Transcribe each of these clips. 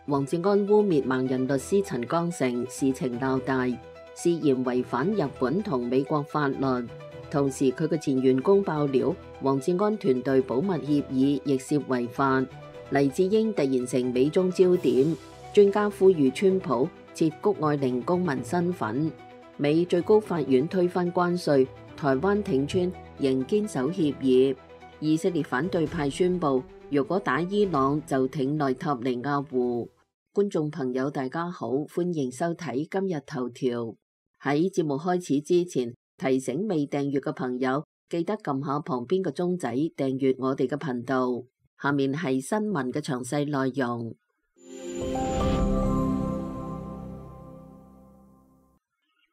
黃志安污蔑盲人律師陳江成，事情鬧大，涉嫌違反日本同美國法律。同時佢嘅前員工爆料，黃志安團隊保密協議亦涉違法。黎智英突然成美中焦點，專家呼籲川普撤谷愛玲公民身份。美最高法院推翻關稅，台灣挺川仍堅守協議。以色列反對派宣布，如果打伊朗就挺內塔尼亞胡。觀眾朋友大家好，歡迎收睇今日頭條。喺節目開始之前，提醒未訂閱嘅朋友記得撳下旁邊嘅鐘仔訂閱我哋嘅頻道。下面係新聞嘅詳細內容。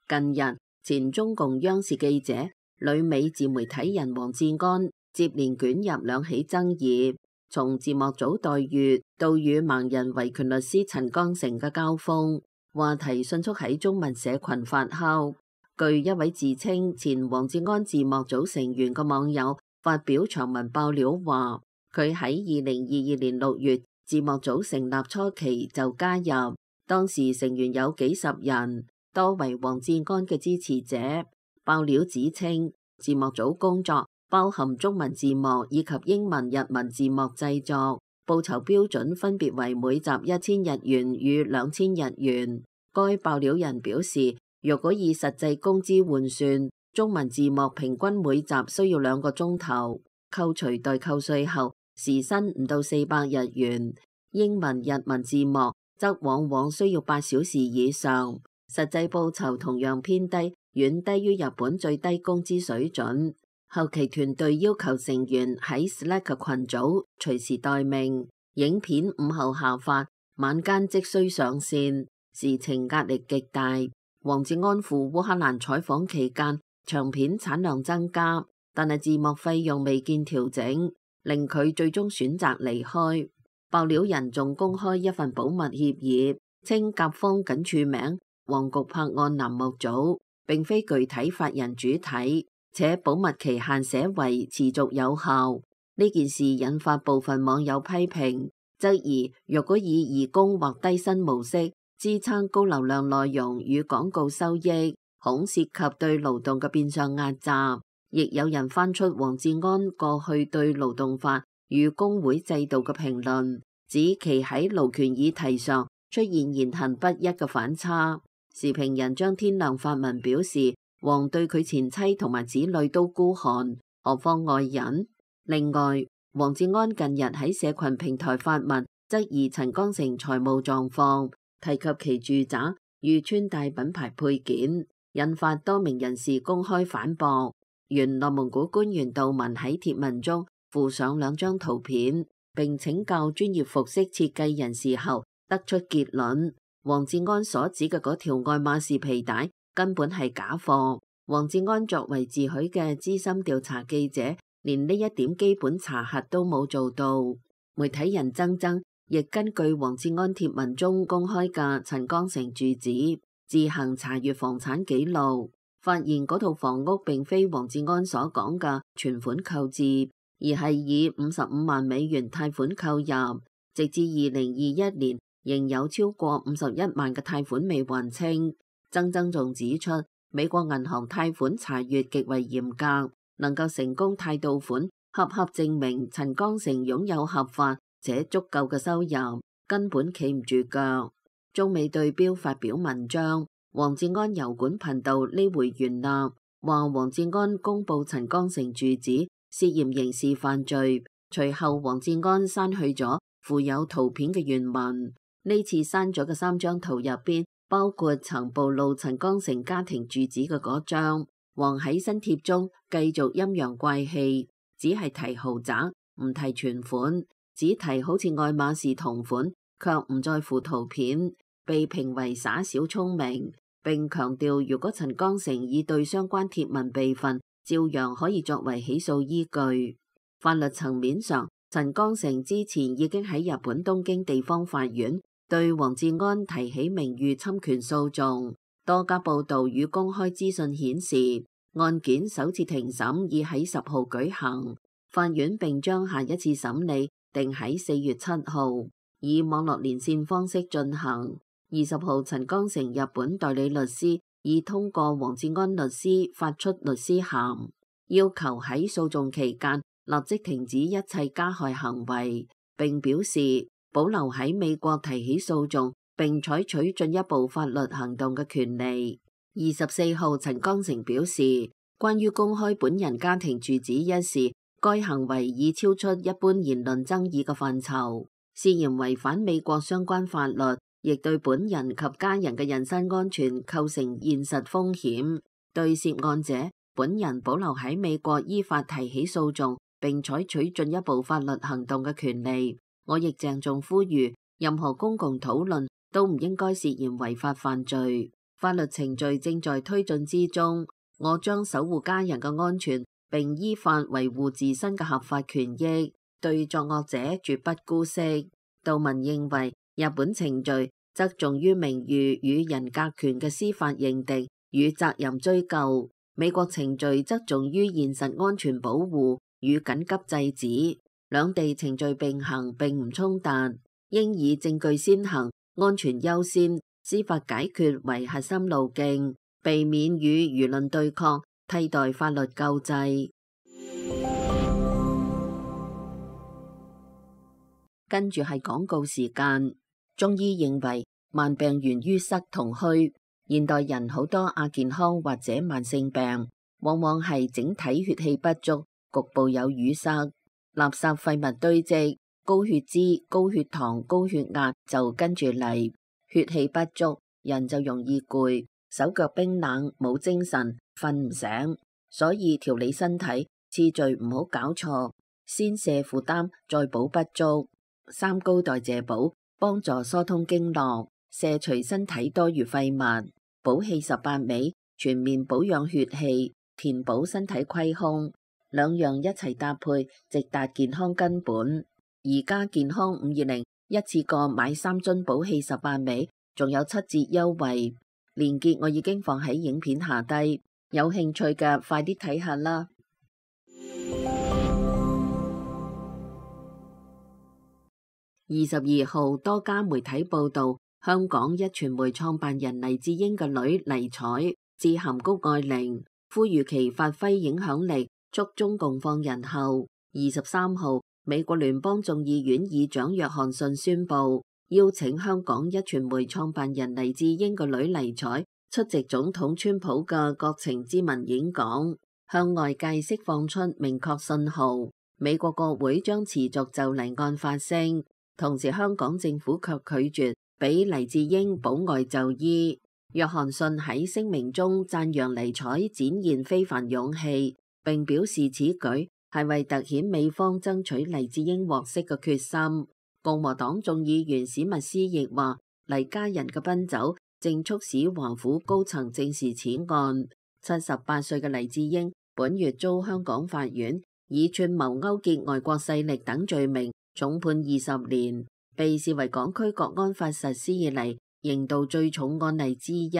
近日，前中共央視記者、旅美自媒體人黃志安接連捲入兩起爭議，從字幕組待遇到與盲人維權律師陳江成嘅交鋒，話題迅速喺中文社群發酵。據一位自稱前黃志安字幕組成員嘅網友發表長文爆料話，佢喺2022年6月字幕組成立初期就加入，當時成員有幾十人，多為黃志安嘅支持者。爆料指稱，字幕組工作包含中文字幕以及英文日文字幕製作，報酬標準分別為每集1000日元與2000日元。該爆料人表示，若果以實際工資換算，中文字幕平均每集需要2個鐘頭，扣除代扣稅後，時薪唔到400日元。英文日文字幕則往往需要8小時以上，實際報酬同樣偏低，遠低於日本最低工資水準。後期團隊要求成員喺 Slack 群組隨時待命，影片午後下發，晚間即需上線，事情壓力極大。黃志安赴烏克蘭採訪期間，長片產量增加，但係字幕費用未見調整，令佢最終選擇離開。爆料人仲公開一份保密協議，稱甲方僅署名黃局拍案欄目組，並非具體法人主體，且保密期限寫為持續有效。呢件事引發部分網友批評，質疑若果以義工或低薪模式支撐高流量內容與廣告收益，恐涉及對勞動嘅變相壓榨。亦有人翻出黃志安過去對勞動法與工會制度嘅評論，指其喺勞權議題上出現言行不一嘅反差。時評人張天亮發文表示，黃對佢前妻同埋子女都孤寒，何況外人。另外，黃志安近日喺社群平台發文，質疑陳江成財務狀況，提及其住宅遇穿戴品牌配件，引發多名人士公開反駁。原內蒙古官員杜文喺帖文中附上2張圖片，並請教專業服飾設計人士後，得出結論：黃志安所指嘅嗰條愛馬仕皮帶根本係假貨。黃志安作為自詡嘅資深調查記者，連呢一點基本查核都冇做到。媒體人曾曾亦根據黃志安帖文中公開嘅陳江成住址，自行查閱房產記錄，發現嗰套房屋並非黃志安所講嘅存款購置，而係以55萬美元貸款購入，直至2021年仍有超過51萬嘅貸款未還清。曾曾仲指出，美國銀行貸款查閱極為嚴格，能夠成功貸到款，恰恰證明陳江成擁有合法且足夠嘅收入，根本企唔住腳。中美對標發表文章，黃志安油管頻道呢回原立，話黃志安公布陳江成住址涉嫌刑事犯罪。隨後黃志安刪去咗附有圖片嘅原文，呢次刪咗嘅3張圖入邊，包括曾暴露陳江成家庭住址嘅嗰張。黃喺新帖中繼續陰陽怪氣，只係提豪宅，唔提存款，只提好似愛馬仕同款，卻唔在乎圖片，被評為耍小聰明。並強調，如果陳江成已對相關帖文備份，照樣可以作為起訴依據。法律層面上，陳江成之前已經喺日本東京地方法院對黃志安提起名譽侵權訴訟。多家報道與公開資訊顯示，案件首次庭審已喺10號舉行，法院並將下一次審理定喺4月7號。以網絡連線方式進行。20號，陳光誠日本代理律師已通過黃志安律師發出律師函，要求喺訴訟期間立即停止一切加害行為，並表示保留喺美國提起訴訟並採取進一步法律行動嘅權利。24號，陳光誠表示，關於公開本人家庭住址一事，該行為已超出一般言論爭議嘅範疇，涉嫌違反美國相關法律，亦對本人及家人嘅人身安全構成現實風險。對涉案者本人保留喺美國依法提起訴訟並採取進一步法律行動嘅權利。我亦鄭重呼籲，任何公共討論都唔應該涉嫌違法犯罪。法律程序正在推進之中，我將守護家人嘅安全並依法維護自身嘅合法權益，對作惡者絕不姑息。杜文認為，日本程序側重於名譽與人格權嘅司法認定與責任追究，美國程序側重於現實安全保護與緊急制止，兩地程序並行並唔衝突，應以證據先行、安全優先、司法解決為核心路徑，避免與輿論對抗，替代法律救濟。跟住係廣告時間。中醫認為慢病源於塞同虛，現代人好多亞健康或者慢性病，往往係整體血氣不足，局部有淤塞，垃圾廢物堆積，高血脂、高血糖、高血壓就跟住嚟。血氣不足，人就容易攰，手腳冰冷，冇精神，瞓唔醒。所以調理身體次序唔好搞錯，先瀉負擔，再補不足。三高代謝補幫助疏通經絡，卸除身體多餘廢物。補氣18味全面保養血氣，填補身體虧空，兩樣一齊搭配，直達健康根本。而家健康520一次過買3樽補氣18味，仲有7折優惠，鏈接我已經放喺影片下低，有興趣嘅快啲睇下啦。22號，多家媒體報道，香港一傳媒創辦人黎智英嘅女黎采致函谷愛凌，呼籲其發揮影響力，促中共放人後。23號，美國聯邦眾議院議長約翰遜宣布，邀請香港一傳媒創辦人黎智英嘅女黎采出席總統川普嘅國情咨文演講，向外界釋放出明確信號，美國國會將持續就黎案發聲。同時，香港政府卻拒絕俾黎智英保外就醫。約翰遜喺聲明中讚揚黎采展現非凡勇氣，並表示此舉係為凸顯美方爭取黎智英獲釋嘅決心。共和黨眾議員史密斯亦話，黎家人嘅奔走正促使華府高層正視此案。78歲嘅黎智英本月遭香港法院以串謀勾結外國勢力等罪名重判20年，被視為港區國安法實施以嚟刑度最重案例之一。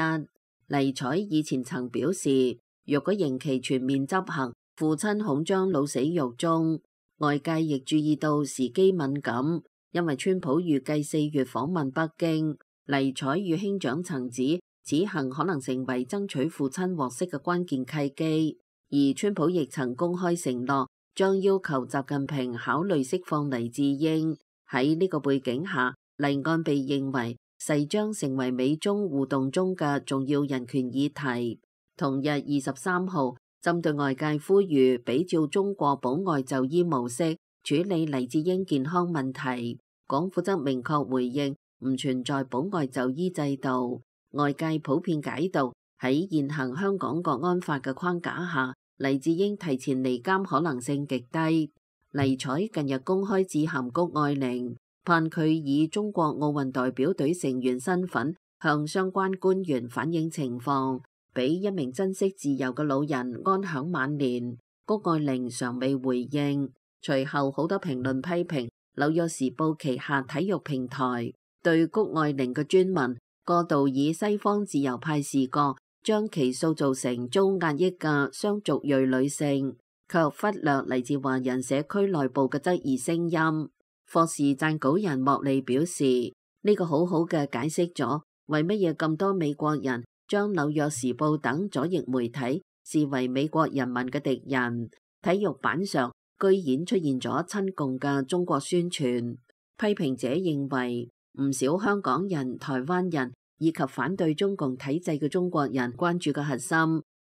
黎采以前曾表示，若果刑期全面執行，父親恐將老死獄中。外界亦注意到時機敏感，因為川普預計4月訪問北京。黎采與兄長曾指，此行可能成為爭取父親獲釋嘅關鍵契機。而川普亦曾公開承諾，將要求習近平考慮釋放黎智英。喺呢個背景下，黎案被認為勢將成為美中互動中嘅重要人權議題。同日23號，針對外界呼籲比照中國保外就醫模式處理黎智英健康問題，港府則明確回應唔存在保外就醫制度。外界普遍解讀喺現行香港國安法嘅框架下，黎智英提前離監可能性極低。黎采近日公開致函谷愛凌，盼佢以中國奧運代表隊成員身份向相關官員反映情況，俾一名珍惜自由嘅老人安享晚年。谷愛凌尚未回應。隨後好多評論批評紐約時報旗下體育平台對谷愛凌嘅專文過度以西方自由派視角，將其塑造成遭壓抑嘅雙族裔女性，卻忽略嚟自華人社區內部嘅質疑聲音。霍士撰稿人莫利表示，呢個好好嘅解釋咗為乜嘢咁多美國人將紐約時報等左翼媒體視為美國人民嘅敵人。體育版上居然出現咗親共嘅中國宣傳。批評者認為，唔少香港人、台灣人以及反對中共體制嘅中國人關注嘅核心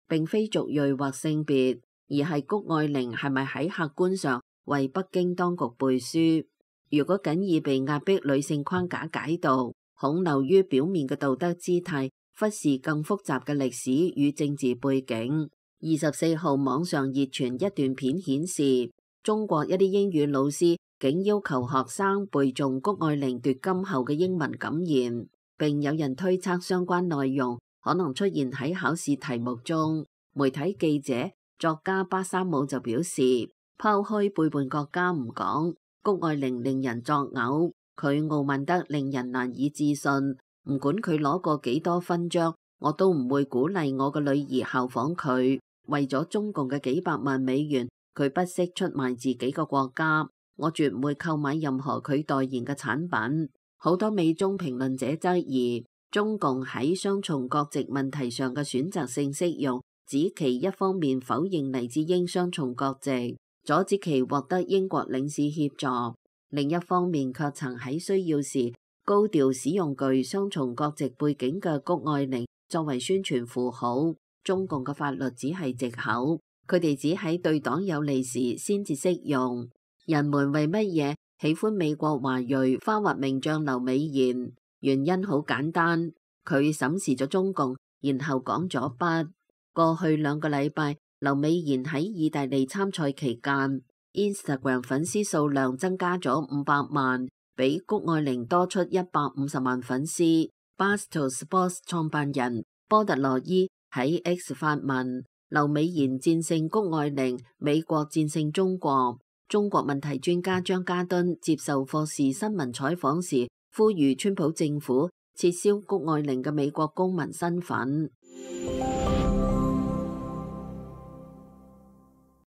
並非族裔或性別，而係谷愛凌係咪喺客觀上為北京當局背書。如果僅以被壓迫女性框架解讀，恐流於表面嘅道德姿態，忽視更複雜嘅歷史與政治背景。24號網上熱傳一段片顯示，中國一啲英語老師竟要求學生背誦谷愛凌奪金後嘅英文感言，並有人推測相關內容可能出現喺考試題目中。媒體記者、作家巴沙姆就表示，拋開背叛國家唔講，谷愛凌令人作嘔，佢傲慢得令人難以置信。唔管佢攞過幾多勳章，我都唔會鼓勵我嘅女兒效仿佢。為咗中共嘅幾百萬美元，佢不惜出賣自己個國家。我絕唔會購買任何佢代言嘅產品。好多美中評論者質疑中共喺雙重國籍問題上嘅選擇性適用，指其一方面否認黎智英雙重國籍，阻止其獲得英國領事協助，另一方面卻曾喺需要時高調使用具雙重國籍背景嘅谷愛凌作為宣傳符號。中共嘅法律只係藉口，佢哋只喺對黨有利時先至適用。人們為乜嘢喜歡美國華裔花滑名將劉美賢？原因好簡單，佢審視咗中共，然後講咗不。過去2個禮拜，劉美賢喺意大利參賽期間 ，Instagram 粉絲數量增加咗500萬，比谷愛凌多出150萬粉絲。Barstool Sports 創辦人波特羅伊喺 X 發文，劉美賢戰勝谷愛凌，美國戰勝中國。中國問題專家張家敦接受霍士新聞採訪時，呼籲川普政府撤銷谷愛凌嘅美國公民身份。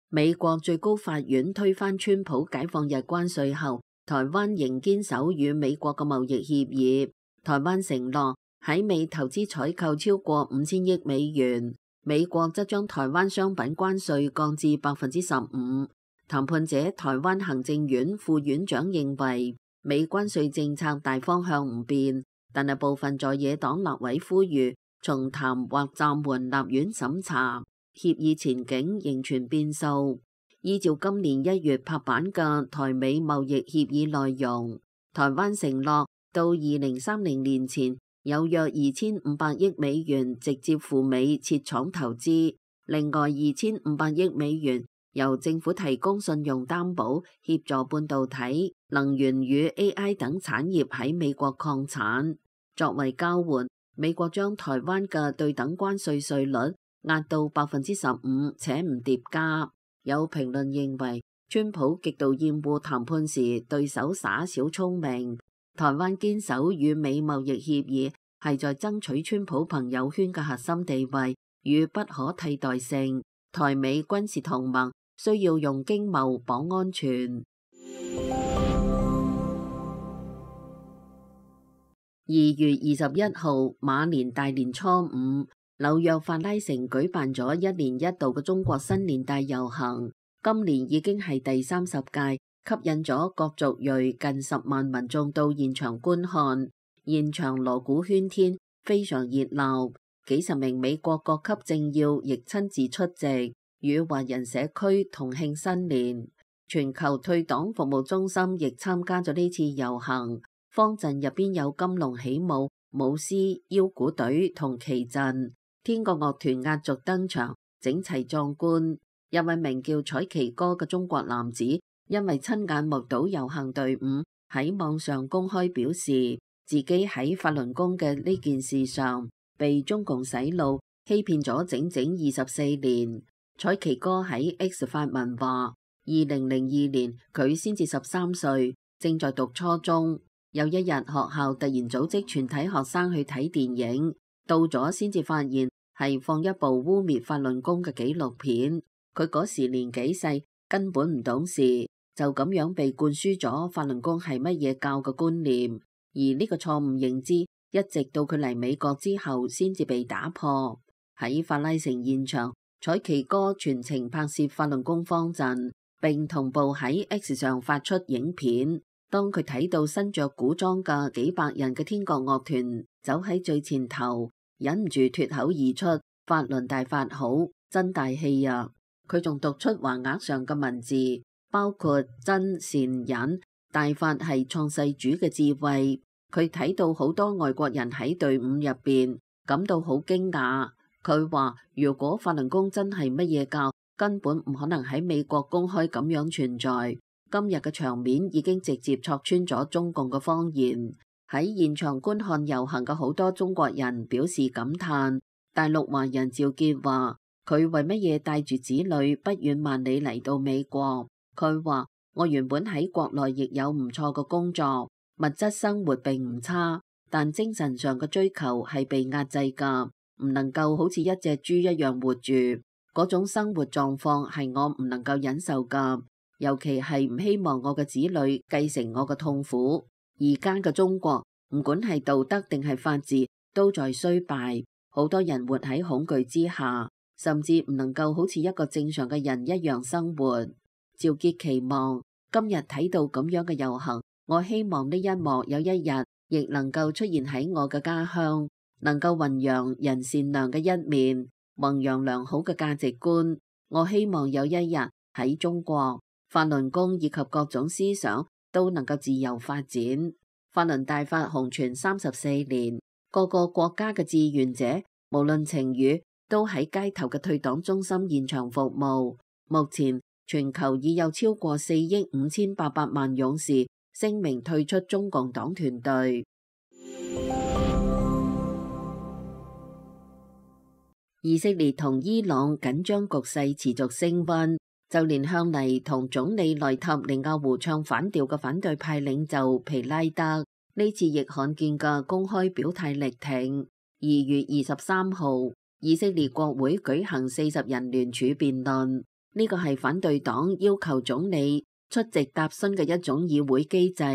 美國最高法院推翻川普解放日關稅後，台灣仍堅守與美國嘅貿易協議。台灣承諾喺美投資採購超過5000億美元，美國則將台灣商品關稅降至15%。談判者台灣行政院副院長認為，美關稅政策大方向唔變，但係部分在野黨立委呼籲重談或暫緩立院審查，協議前景仍存變數。依照今年1月拍板嘅台美貿易協議內容，台灣承諾到2030年前有約2500億美元直接赴美設廠投資，另外2500億美元由政府提供信用擔保，協助半導體、能源與 AI 等產業喺美國擴產。作為交換，美國將台灣嘅對等關稅稅率壓到15%，且唔疊加。有評論認為，川普極度厭惡談判時對手耍小聰明。台灣堅守與美貿易協議，係在爭取川普朋友圈嘅核心地位與不可替代性。台美軍事同盟需要用經貿綁安全。2月21號，馬年大年初5，紐約法拉盛舉辦咗1年1度嘅中國新年大遊行，今年已經係第30屆，吸引咗各族裔近10萬民眾到現場觀看，現場鑼鼓喧天，非常熱鬧。幾十名美國各級政要亦親自出席，與華人社區同慶新年。全球退黨服務中心亦參加咗呢次遊行，方陣入邊有金龍起舞、舞獅、腰鼓隊同旗陣，天國樂團壓軸登場，整齊壯觀。一位名叫采琪哥嘅中國男子，因為親眼目睹遊行隊伍，喺網上公開表示，自己喺法輪功嘅呢件事上被中共洗腦欺騙咗整整24年。采琪哥喺 X 發文話，2002年佢先至13歲，正在讀初中。有一日學校突然組織全體學生去睇電影，到咗先至發現係放一部污衊法輪功嘅紀錄片。佢嗰時年紀細，根本唔懂事，就咁樣被灌輸咗法輪功係乜嘢教嘅觀念，而呢個錯誤認知一直到佢嚟美國之後先至被打破。喺法拉盛現場，采琪哥全程拍攝法輪功方陣，並同步喺 X 上發出影片。當佢睇到身着古裝嘅幾百人嘅天國樂團走喺最前頭，忍唔住脫口而出：法輪大法好，真大氣啊！佢仲讀出橫額上嘅文字，包括真善忍，大法係創世主嘅智慧。佢睇到好多外國人喺隊伍入邊，感到好驚訝。佢話如果法輪功真係乜嘢教，根本唔可能喺美國公開咁樣存在。今日嘅場面已經直接戳穿咗中共嘅謊言。喺現場觀看遊行嘅好多中國人表示感嘆。大陸華人趙傑話：佢為乜嘢帶住子女不遠萬里嚟到美國？佢話：我原本喺國內亦有唔錯嘅工作，物質生活並唔差，但精神上嘅追求係被壓制㗎，唔能夠好似一隻豬一樣活住。嗰種生活狀況係我唔能夠忍受㗎。尤其係唔希望我嘅子女繼承我嘅痛苦。而家嘅中國，唔管係道德定係法治，都在衰敗。好多人活喺恐懼之下，甚至唔能夠好似一個正常嘅人一樣生活。趙傑期望今日睇到咁樣嘅遊行，我希望呢一幕有一日亦能夠出現喺我嘅家鄉，能夠弘揚人善良嘅一面，弘揚良好嘅價值觀。我希望有一日喺中國，法輪功以及各種思想都能夠自由發展。法輪大法紅傳34年，各個國家嘅志願者無論情與都喺街頭嘅退黨中心現場服務。目前全球已有超過4億5800萬勇士聲明退出中共黨團隊。以色列同伊朗緊張局勢持續升溫。就連向嚟同總理內塔尼亞胡唱反調嘅反對派領袖皮拉德，呢次亦罕見嘅公開表態力挺。2月23號，以色列國會舉行40人聯署辯論，呢個係反對黨要求總理出席答詢嘅一種議會機制。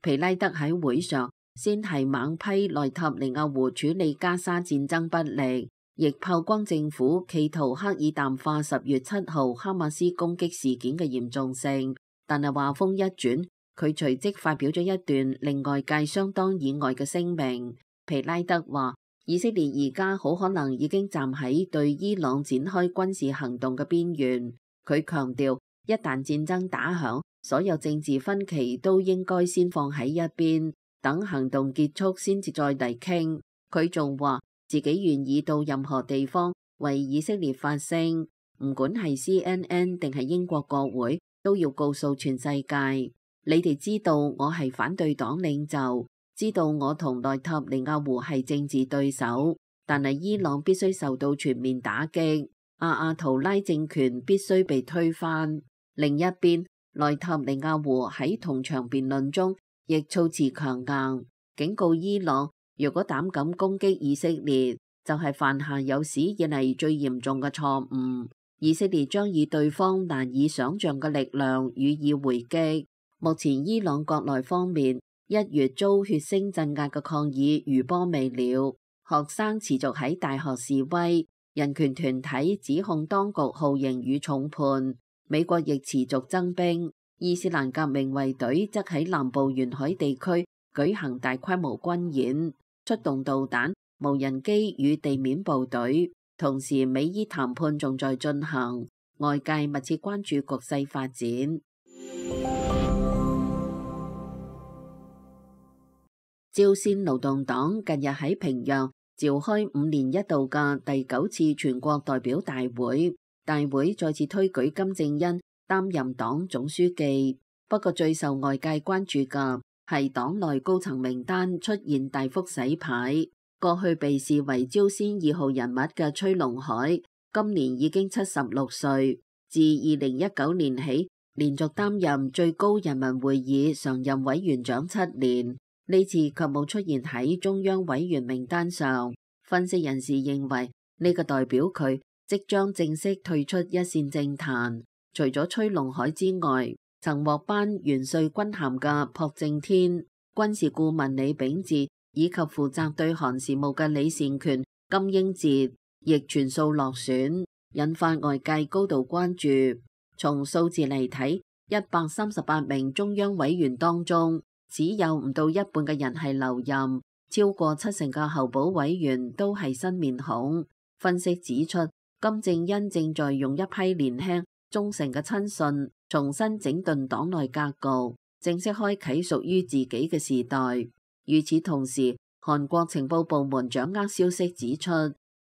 皮拉德喺會上先係猛批內塔尼亞胡處理加沙戰爭不力，亦炮轟政府企圖刻意淡化10月7號哈馬斯攻擊事件嘅嚴重性，但係話風一轉，佢隨即發表咗一段令外界相當意外嘅聲明。皮拉德話：以色列而家好可能已經站喺對伊朗展開軍事行動嘅邊緣。佢強調，一旦戰爭打響，所有政治分歧都應該先放喺一邊，等行動結束先至再嚟傾。佢仲話自己願意到任何地方為以色列發聲，唔管係 CNN 定係英國國會，都要告訴全世界，你哋知道我係反對黨領袖，知道我同內塔尼亞胡係政治對手，但係伊朗必須受到全面打擊，阿圖拉政權必須被推翻。另一邊，內塔尼亞胡喺同場辯論中亦措辭強硬，警告伊朗，如果膽敢攻擊以色列，就係犯下有史以嚟最嚴重嘅錯誤。以色列將以對方難以想象嘅力量予以回擊。目前伊朗國內方面1月遭血腥鎮壓嘅抗議餘波未了，學生持續喺大學示威，人權團體指控當局酷刑與重判。美國亦持續增兵，伊斯蘭革命衛隊則喺南部沿海地區舉行大規模軍演，出動導彈、無人機與地面部隊。同時，美伊談判仲在進行，外界密切關注局勢發展。朝鮮勞動黨近日喺平壤召開5年一度嘅第9次全國代表大會，大會再次推舉金正恩擔任黨總書記。不過最受外界關注嘅係黨內高層名單出現大幅洗牌。過去被視為朝鮮2號人物嘅崔龍海，今年已經76歲，自2019年起連續擔任最高人民會議常任委員長7年，呢次卻冇出現喺中央委員名單上。分析人士認為呢個代表佢即將正式退出一線政壇。除咗崔龍海之外，曾獲頒元帥軍銜嘅朴正天、軍事顧問李秉哲以及負責對韓事務嘅李善權、金英哲亦全數落選，引發外界高度關注。從數字嚟睇，138名中央委員當中，只有唔到一半嘅人係留任，超過70%嘅候補委員都係新面孔。分析指出，金正恩正在用一批年輕忠誠嘅親信重新整頓黨內格局，正式開啟屬於自己嘅時代。與此同時，韓國情報部門掌握消息指出，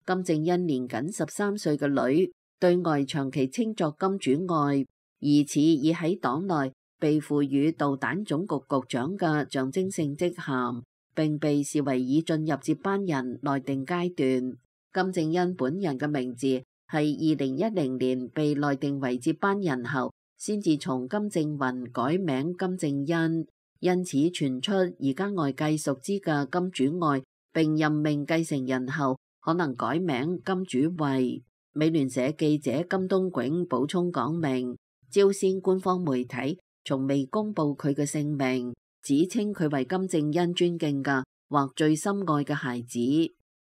金正恩年僅13歲嘅女對外長期稱作金主愛，疑似已喺黨內被賦予導彈總局局長嘅象徵性職銜，並被視為已進入接班人內定階段。金正恩本人嘅名字係2010年被內定為接班人後，先至從金正雲改名金正恩，因此傳出而家外界熟知嘅金主愛並任命繼承人後，可能改名金主惠。美聯社記者金東炯補充講明，朝鮮官方媒體從未公布佢嘅姓名，只稱佢為金正恩尊敬嘅或最深愛嘅孩子。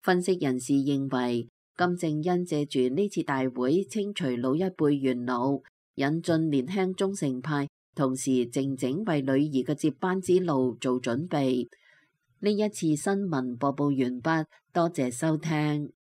分析人士認為，金正恩借住呢次大會清除老一輩元老，引進年輕忠誠派，同時靜靜為女兒嘅接班之路做準備。呢一次新聞播報完畢，多謝收聽。